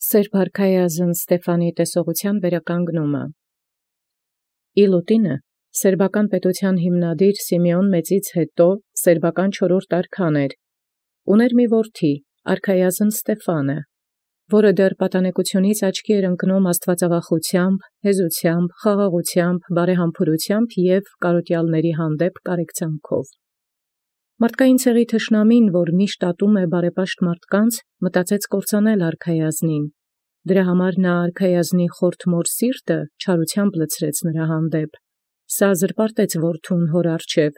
Սերբ արքայազն Ստեփանի տեսողության վերականգնումը։ Իլուտինը սերբական պետության հիմնադիր Սիմեոն Մեծից հետո սերբական 4-րդ արքան էր, ուներ մի որդի, արքայազն Ստեփանը, որը դեռ պատանեկությունից աչքի էր ընկնում աստվածավախությամբ, հեզությամբ, խաղաղությամբ, բարեհամբուրությամբ և կարոտյալների հանդեպ կարեկցանքով։ Մարդկային ցեղի թշնամին, որ միշտ ատում է բարեպաշտ մարդկանց, մտածեց կործանել արքայազնին։ Դրա համար նա արքայազնի խորթմոր սիրտը չարությամբ լցրեց նրա հանդեպ։ Սա զրպարտեց որդուն հոր առջև,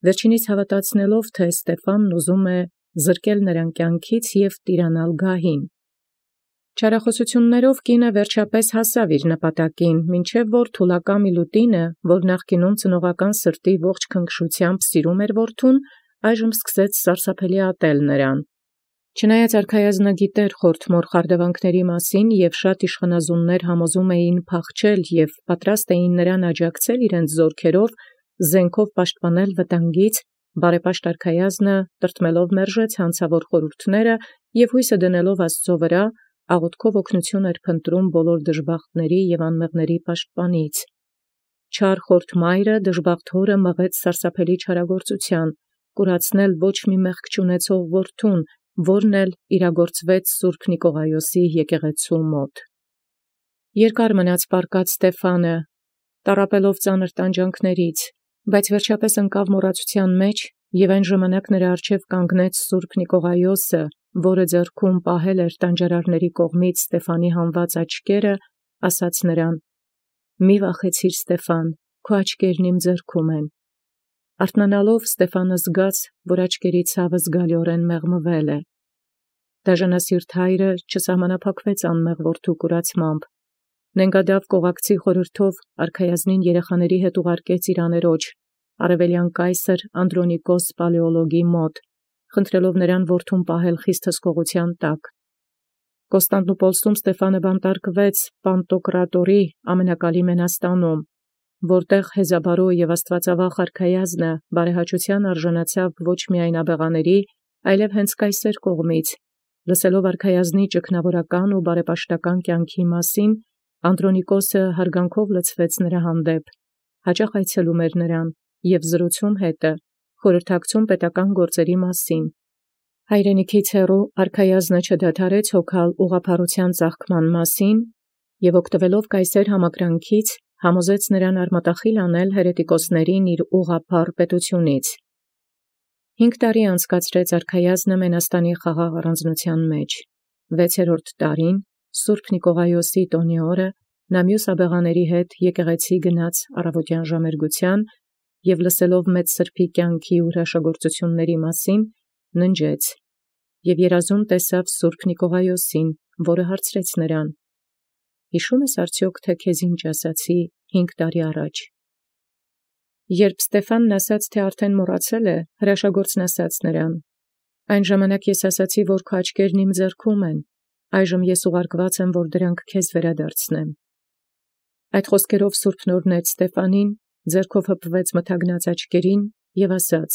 վերջինիս հավատացնելով, թե Ստեփանն ուզում է զրկել նրան կյանքից և տիրանալ գահին։ Չարախոսություններով կինը վերջապես հասավ իր նպատակին, մինչև որ թուլակամ Իլուտինը, որ նախկինում ծնողական սրտի ողջ քնքշությամբ սիրում էր որդուն, այժմ սկսեց սարսափելի ատել նրան։ Չնայած արքայազնը գիտեր խորթմոր խարդավանքների մասին և շատ իշխանազուններ համոզում էին փախչել և պատրաստ էին նրան աջակցել իրենց զորքերով, զենքով պաշտպանել վտանգից, բարեպաշտ արքայազնը տրտմելով մերժեց հանցավոր խորհուրդները և հույսը դնելով Աստծո վրա, աղոթքով օգնություն էր փնտրում բոլոր դժբախտների և անմեղների պաշտպանից։ Չար խորթ մայրը դժբախտ հորը մղեց սարսափելի չարագործության, կուրացնել ոչ մի մեղք չունեցող որդուն, որն էլ իրագործվեց Սուրբ Նիկողայոսի եկեղեցու մոտ։ Երկար մնաց պառկած Ստեփանը, տառապելով ծանր տանջանքներից, բայց վերջապես ընկավ մոռացության մեջ, և այն ժամանակ նրա առջև կանգնեց Սուրբ Նիկողայոսը, որը ձեռքում պահել էր տանջարարների կողմից Ստեփանի հանված աչքերը, ասաց նրան. «Մի վախեցիր, Ստեփան, քո աչքերն իմ ձեռքում են»։ Արթնանալով Ստեփանը զգաց, որ աչքերի ցավը զգալիորեն մեղմվել է։ Դաժանասիրտ հայրը չսահմանափակվեց անմեղ որդու կուրացմամբ։ Նենգադավ կողակցի խորհրդով արքայազնին երեխաների հետ ուղարկեց իր աներոջ, արևելյան կայսր Անդրոնիկոս Պալեոլոգի մոտ, խնդրելով նրան որդուն պահել խիստ հսկողության տակ։ Կոստանդնուպոլսում Ստեփանը բանտարկվեց Պանտոկրատորի ամենակալի մենաստանում, որտեղ հեզաբարո և աստվածավախ արքայազնը բարեհաճության արժանացավ ոչ միայն աբեղաների, այլև հենց կայսեր կողմից, լսելով արքայազնի ճգնավորական ու բարեպաշտական կյանքի մասին, Անդրոնիկոսը հարգանքով լցվեց նրա հանդեպ, հաճախ այցելում էր նրան և զրուցում հետը, խորհրդակցում պետական գործերի մասին։ Հայրենիքից հեռու արքայազնը չդադարեց հոգալ ուղղափառության ծաղկման մասին և օգտվելով կայսեր համակրանքից, համոզեց նրան արմատախիլ անել հերետիկոսներին իր ուղղափառ պետությունից։ 5 տարի անցկացրեց արքայազնը Մենաստանի խաղաղ առանձնության մեջ։ 6-րդ տարին, Սուրբ Նիկողայոսի տոնի օրը, նա մյուս աբեղաների հետ եկեղեցի գնաց առավոտյան ժամերգության և լսելով մեծ սրբի կյանքի ու հրաշագործությունների մասին, ննջեց և երազում տեսավ Սուրբ Նիկողայոսին, որը հարցրեց նրան. «Հիշո՞ւմ ես արդյոք, թե քեզ ինչ ասացի 5 տարի առաջ»։ Երբ Ստեփանն ասաց, թե արդեն մոռացել է, հրաշագործն ասաց նրան. «Այն ժամանակ ես ասացի, որ քո աչքերն իմ ձեռքում են, այժմ ես ուղարկված եմ, որ դրանք քեզ վերադարձնեմ»։ Այդ խոսքերով Սուրբն օրհնեց Ստեփանին, ձեռքով հպվեց մթագնած աչքերին և ասաց.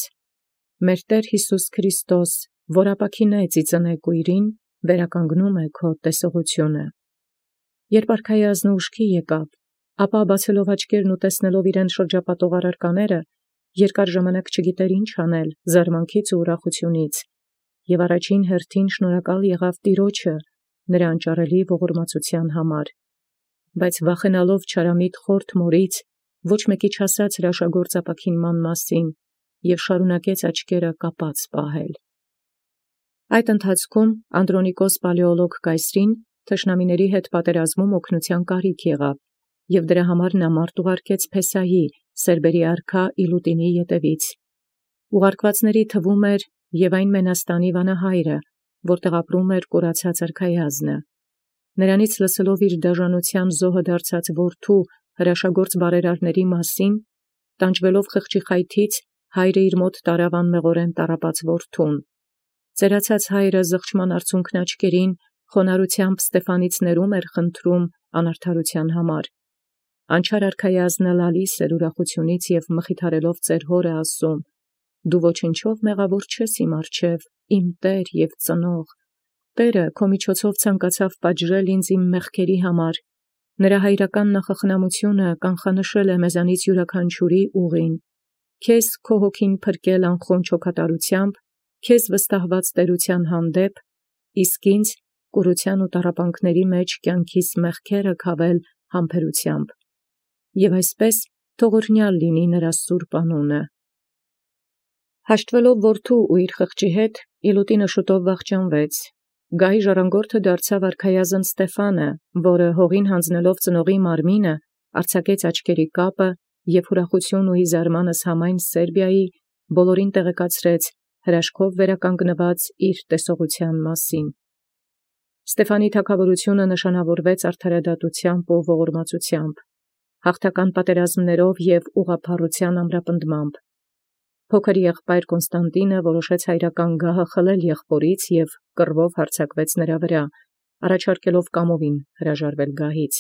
«Մեր Տեր Յիսուս Քրիստոս, որ ապաքինեց իծնե կույրին, վերականգնում է քո տեսողությունը»։ Երբ արքայազնը ուշքի եկավ, ապա բացելով աչքերն ու տեսնելով իրեն շրջապատող առարկաները, երկար ժամանակ չգիտեր ինչ անել զարմանքից ու ուրախությունից, և առաջին հերթին շնորհակալ եղավ Տիրոջը նրա անճարելի ողորմածության համար, բայց վախենալով չարամիտ խորթ մորից, ոչ մեկի չասած հրաշագործ ապաքինման մասին, և շարունակեց աչքերը կապած պահել։ Այդ ընթացքում Անդրոնիկոս Պալեոլոգ կայսրին թշնամիների հետ պատերազմում օգնության կարիք եղավ, և դրա համար նա մարդ ուղարկեց Փեսայի, սերբերի արքա Իլուտինի ետևից։ Ուղարկվածների թվում էր և այն Մենաստանի վանահայրը, որտեղ ապրում էր կորացած արքայազնը։ Նրանից լսելով իր դաժանության զոհը դարձած որդու հրաշագործ բարերարների մասին, տանջվելով խղճի խայթից, հայրը իր մոտ տարավ անմեղորեն տառապած որդուն։ Ծերացած հայրը զղջման արցունքն աչքերին խոնարհությամբ Ստեփանից ներում էր խնդրում անարդարության համար։ Անչափ արքայազնը լալիս էր ուրախությունից և մխիթարելով ծեր հորը ասում. «Դու ոչնչով մեղավոր չես իմ առջև, իմ Տեր և ծնող, Տէրը քո միջոցով ցանկացավ պատժել ինձ իմ մեղքերի համար. նրա հայրական նախախնամությունը կանխանշել է մեզանից յուրաքանչյուրի ուղին. քեզ քո հոգին փրկել անխոնջ հոգատարությամբ, քեզ վստահված տերության հանդեպ, իսկ ինձ կուրության ու տառապանքների մեջ կյանքիս մեղքերը քավել համբերությամբ։ Եվ այսպես թող օրհնյալ լինի նրա սուրբ անունը։ Հաշտվելով որդու ու իր խղճի հետ, Իլուտինը շուտով վախճանվեց։ Գահի ժառանգորդը դարձավ արքայազն Ստեփանը, որը հողին հանձնելով ծնողի մարմինը, արձակեց աչքերի կապը և ուրախություն ու զարմանս համայն Սերբիայի բոլորին տեղեկացրեց հրաշքով վերականգնված իր տեսողության մասին։ Ստեփանի թագավորությունը նշանավորվեց արդարադատությամբ ու ողորմածությամբ, հաղթական պատերազմներով և ուղղափառության ամրապնդմամբ։ Փոքր եղբայր Կոնստանտինը որոշեց հայրական գահը խլել եղբորից և կռվով հարձակվեց նրա վրա, առաջարկելով կամովին հրաժարվել գահից։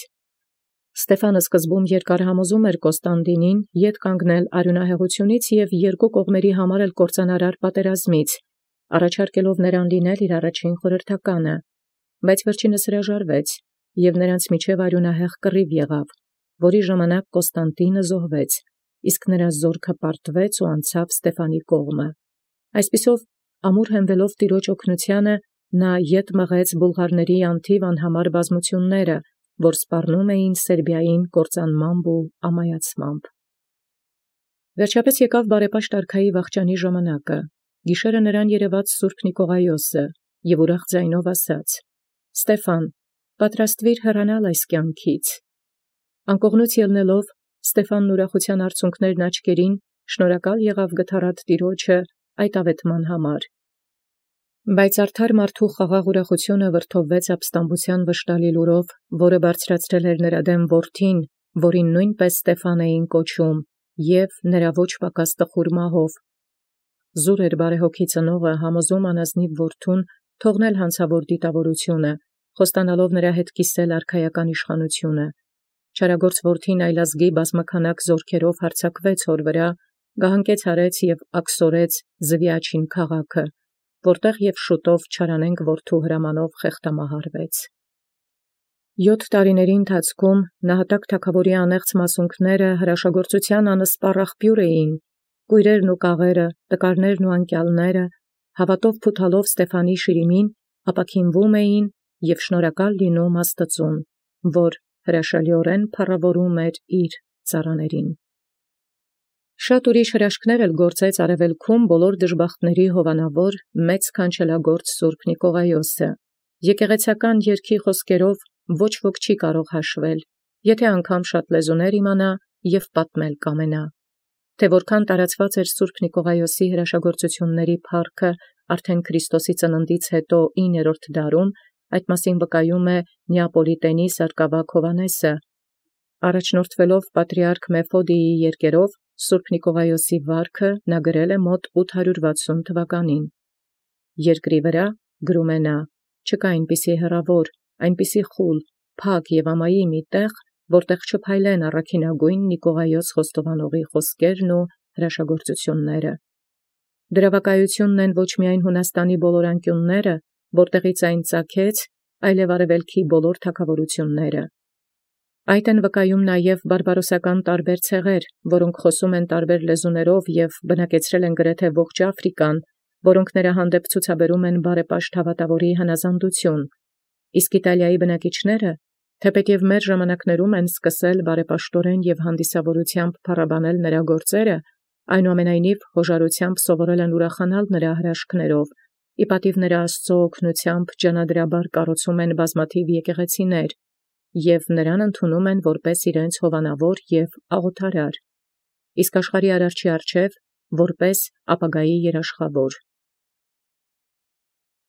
Ստեփանը սկզբում երկար համոզում էր Կոնստանտինին ետ կանգնել արյունահեղությունից և երկու կողմերի համար էլ կործանարար պատերազմից, առաջարկելով նրան լինել իր առաջին խորհրդականը, բայց վերջինս հրաժարվեց, և նրանց միջև արյունահեղ կռիվ եղավ, որի ժամանակ Կոնստանտինը զոհվեց, իսկ նրա զորքը պարտվեց ու անցավ Ստեփանի կողմը։ Այսպիսով, ամուր հենվելով Տիրոջ օգնությանը, նա ետ մղեց բուլղարների անթիվ անհամար բազմությունները, որ սպառնում էին Սերբիային կործանմամբ ու ամայացմամբ։ Վերջապես եկավ բարեպաշտ արքայի վախճանի ժամանակը։ Գիշերը նրան երևաց Սուրբ Նիկողայոսը և ուրախ ձայնով ասաց. «Ստեփան, պատրաստվիր հեռանալ այս կյանքից»։ Անկողնուց ելնելով, Ստեփանն ուրախության արցունքներն աչքերին շնորհակալ եղավ գթառատ Տիրոջը այդ աղեթման համար։ Բայց արդար մարդու խաղաղ ուրախությունը վրդովվեց ապստամբության վշտալի լուրով, որը բարձրացրել էր նրա դեմ որդին, որին նույնպես Ստեփան էին կոչում, և նրա ոչ պակաս տխուր մահով։ Զուր էր բարեհոգի ծնողը համոզում անազնիվ որդուն թողնել հանցավոր դիտավորությունը, խոստանալով նրա հետ կիսել արքայական իշխանությունը։ Չարագործ որդին այլազգի բազմաքանակ զորքերով հարձակվեց հոր վրա, գահանքեց արեց և աքսորեց Զվիաչին քաղաքը, որտեղ և շուտով չարանենգ որդու հրամանով խեղդամահարվեց։ 7 տարիների ընթացքում նահատակ թագաւորի անեղծ մասունքները հրաշագործության անսպառ աղբյուր էին, կույրերն ու կաղերը, տկարներն ու անկյալները, հավատով փութալով Ստեփանի շիրիմին, ապաքինվում էին և շնորհակալ լինում Աստծուն, որ հրաշալիորեն փառաւորում էր իր ծառաներին։ Շատ ուրիշ հրաշքներ էլ գործեց արևելքում բոլոր դժբախտների հովանավոր մեծ քանչելագործ Սուրբ Նիկողայոսը։ Եկեղեցական երգի խոսքերով ոչ ոք չի կարող հաշվել, եթե անգամ շատ լեզուներ իմանա և պատմել կամենա։ Թե որքան տարածված էր Սուրբ Նիկողայոսի հրաշագործությունների փառքը արդեն Քրիստոսի ծննդից հետո 9-րդ դարում, այդ մասին վկայում է Նեապոլիտենի սարկավագ Հովհաննեսը։ Առաջնորդվելով պատրիարք Մեֆոդիի երկերով, Սուրբ Նիկողայոսի վարքը նա գրել է մոտ 860 թվականին։ Երկրի վրա, գրում է նա, չկա այնպիսի հեռավոր, այնպիսի խուլ, փակ և ամայի մի տեղ, որտեղ չփայլեն առաքինագույն Նիկողայոս խոստովանողի խոսքերն ու հրաշագործությունները։ Դրա վկայությունն են ոչ միայն Հունաստանի բոլոր անկյունները, որտեղից այն ծագեց, այլև արևելքի բոլոր թագավորությունները։ Այդ են վկայում նաև բարբարոսական տարբեր ցեղեր, որոնք խոսում են տարբեր լեզուներով և բնակեցրել են գրեթե ողջ Աֆրիկան, որոնք նրա հանդեպ ցուցաբերում են բարեպաշտ հավատավորի հնազանդություն։ Իսկ Իտալիայի բնակիչները, թեպետև մեր ժամանակներում են սկսել բարեպաշտորեն և հանդիսավորությամբ փառաբանել նրա գործերը, այնուամենայնիվ հոժարությամբ սովորել են ուրախանալ նրա հրաշքներով, ի պատիվ նրա Աստծո օգնությամբ ջանադրաբար կառուցում են բազմաթիվ եկեղեցիներ և նրան ընդունում են որպես իրենց հովանավոր և աղոթարար, իսկ աշխարհի արարչի առջև որպես ապագայի երաշխավոր։